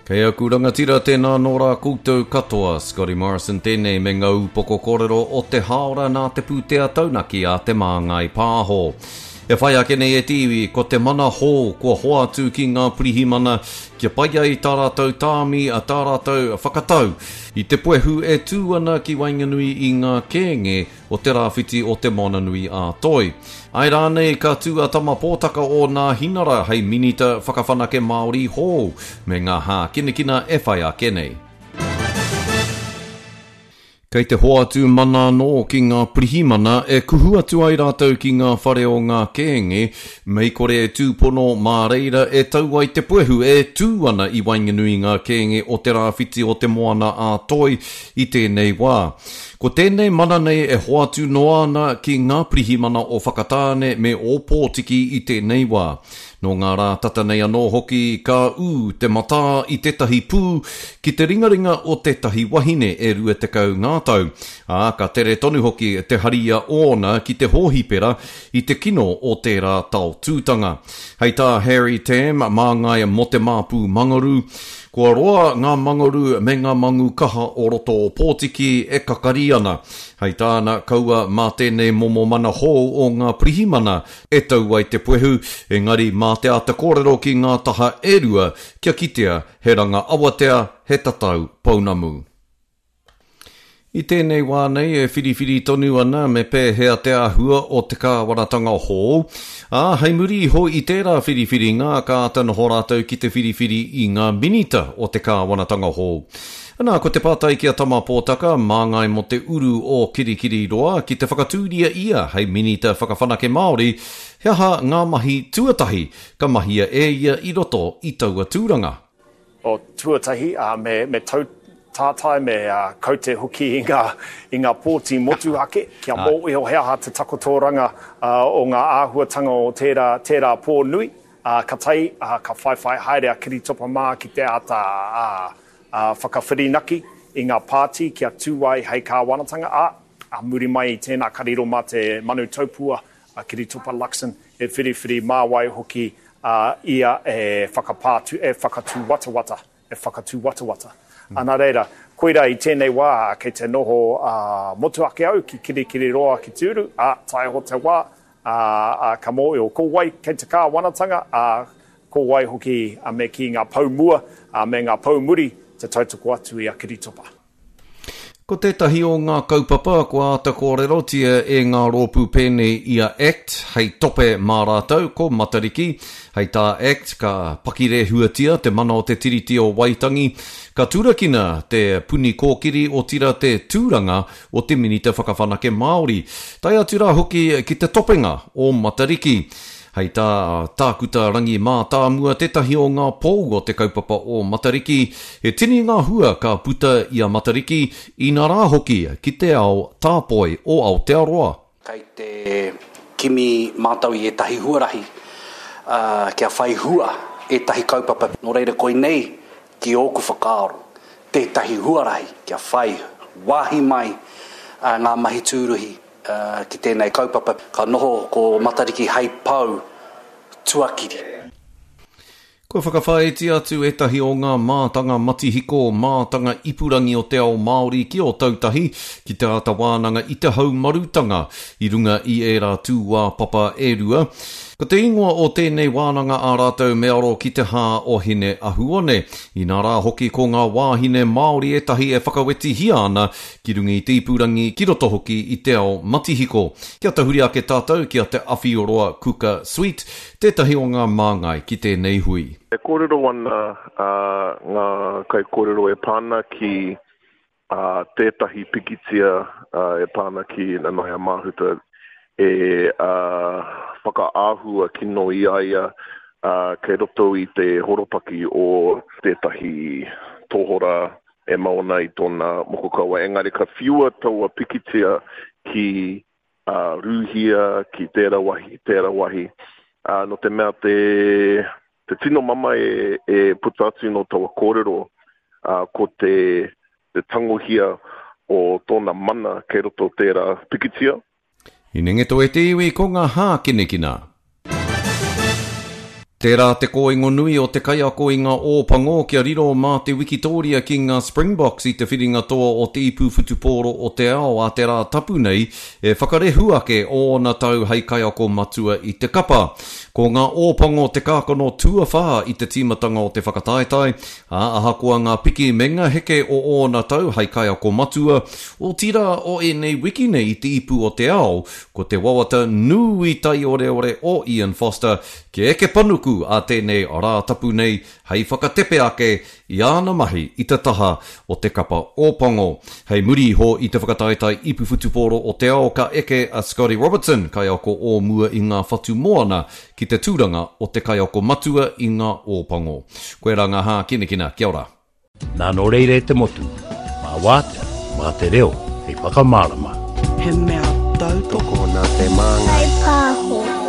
Kei aku rangatira, tēnā nō rā koutou katoa. Scotty Morrison tēnei me ngā upoko kōrero o te hāora nā te pūtea taunaki a Te Māngai Pāho. E whai ake nei e te iwi, ko te mana hou kua hoatu ki ngā pirihimana kia pai ai tā rātou tāmi, tā rātou whakatau i te puehu e tū ana ki waenganui i ngā kēnge o te rāwhiti o Te Moananui a Toi. Āe rānei ka tū a Tama Pōtaka o Nāhinara hei Minita Whakawhanake Māori hou me ngā hākinakina e whai ake nei. Kei te hoatu mana anō ki ngā pirihimana e kuhu atu ai rātou ki ngā whare o ngā kēnge, mei kore e tūpono mā reira e tau ai te puehu e tū ana i waenganui i ngā kēnge o te rāwhiti o Te Moana a Toi i tēnei wā. Ko tēnei mana nei e hoatu noa ana ki ngā pirihimana o Whakatāne me Ōpōtiki i tēnei wā. Nō ngā rā tata nei anō hoki ka ū te matā i tētahi pū ki te ringaringa o tētahi wahine e 20 ngā tau, ā, ka tere tonu hoki te haria ōna ki te hōhipera i te kino o tērā taotūtanga. Hei tā Harry Tam, māngai mō te Māpū Mangaru, Kua roa ngā mangaru me ngā mangu kaha o roto o Pōtiki e kakari ana. Hei tāna, kaua mā tēnei momo mana hou o ngā pirihimana e tau ai te puehu, engari mā te āta kōrero ki ngā taha e rua kia kitea he ranga awatea, he tatau pounamu. I tēnei wā nei e whiriwhiri tonu ana me pēhea te āhua o te kāwanatanga hou, ā, hei muri iho i tērā whiriwhiringa ka āta noho rātou ki te whiriwhiri i ngā minita o te kāwanatanga hou. Anā, ko te pātai ki a Tama Pōtaka, māngai mō te uru o Kirikiriroa, ki te whakatūria ia hei Minita Whakawhanake Māori, he aha ngā mahi tuatahi ka mahia e ia i roto i taua tūranga? O tuatahi, ā, me, me tau tātai, me kaute hoki i ngā, i ngā pōti motuhake, kia mōhio he aha te takotoranga o ngā āhuatanga o tērā, tērā pō nui, ā, ka tae, ā, ka whaiwhai haere a Kiritopa mā ki te āta, ā, ā, whakawhirinaki i ngā pāti kia tū ai hei kāwanatanga, ā, ā muri mai i tēnā ka riro mā te manu taupua a Kiritopa Luxon e whiriwhiri mā wai hoki a ia e whakapā atu, e whakatūwatawata, e whakatūwatawata. Mm. Nā reira, koirā i tēnei wā kei te noho motuhake au ki Kirikiriroa ki te uru, ā, tae iho te wā, ā, ā, ka mōhio ko wai kei te kāwanatanga, ā, ko wai hoki me kī ngā pou mua, ā, me ngā pou muri te tautoko atu i a Kiritopa. Ko tētahi o ngā kaupapa kua āta kōrerotia e ngā rōpū pēnei i a act hei tope mā rātou, ko Matariki. Hei tā act, ka pakirehuatia te mana o te Tiriti o Waitangi, ka turakina te Puni Kōkiri otirā te tūranga o te Minita Whakawhanake Māori, tae atu rā hoki ki te topenga o Matariki. Hei tā Tākuta Rangi Mātāmua, tētahi o ngā pou o te kaupapa o Matariki, he tini ngā hua ka puta i a Matariki, inarā hoki ki te ao tāpoi o Aotearoa. Kei te kimi mātou i ētahi huarahi kia whai hua ētahi kaupapa. Nō reira koinei ki ōku whakaaro tētahi huarahi kia whai wāhi mai ngā mahi tūruhi Ki tēnei kaupapa, ka noho ko Matariki hei pou tuakiri. Kua whakawhāiti atu ētahi o ngā mātanga matihiko, mātanga ipurangi o te ao Māori ki Ōtautahi ki te āta wānanga i te haumarutanga i runga i ērā tūāpapa e rua. Ko te ingoa o tēnei wānanga a rātou me aro ki te hā o Hine Ahuone. Inā rā hoki ko ngā wāhine Māori ētahi e whakawetihia ana ki runga i te ipurangi, ki roto hoki i te ao matihiko. Kia tahuri ake tātou ki a Te Awhioroa Kuka Sweet, tētahi o ngā māngai ki tēnei hui. E kōrero ana ngā kaikōrero e pā ana ki tētahi pikitia e pā ana ki Nanaia Mahuta e whakaahua kino i a ia kei roto i te horopaki o tētahi tohora e mau ana i tōna moko kauae, engari ka whiua taua pikitia ki Rūhia, ki tērā wahi, tērā wahi, ā, nō te mea te, te tino mamae e puta atu nō taua kōrero, ā, ko te, te tangohia o tōna mana kei roto tērā pikitia. Hinengito e te iwi ko ngā hākinakina. Tērā te kōingo nui o te kaiako i ngā Ō Pango kia riro mā te wikitōria ki ngā Springboks i te whiringa toa o te ipu whutupōro o te ao a te Rā Tapu nei e whakarehu ake ōna tau hei kaiako matua i te kapa. Ko ngā Ō Pango te kākano tuawhā i te tīmatanga o te whakataetae, ā, ahakoa ngā piki me ngā heke o ōna tau hei kaiako matua, otirā o ēnei wiki nei i te ipu o te ao, ko te wawata nui taioreore o Ian Foster Kia eke panuku a tēnei Rā Tapu nei hei whakatepe ake i āna mahi i te taha o te kapa Ōpango. Hei muri iho i te whakataetae ipu whutupōro o te ao ka eke a Scotty Robertson, kaiako o mua i ngā whatu moana, ki te tūranga o te kaiako matua i ngā Ōpango. Koirā ngā hākinakina. Kia ora. Nā nō reira e te motu, mā wātea, mā te reo hei whakamārama. He mea tautoko. Tokona te māngai. Kaipāho.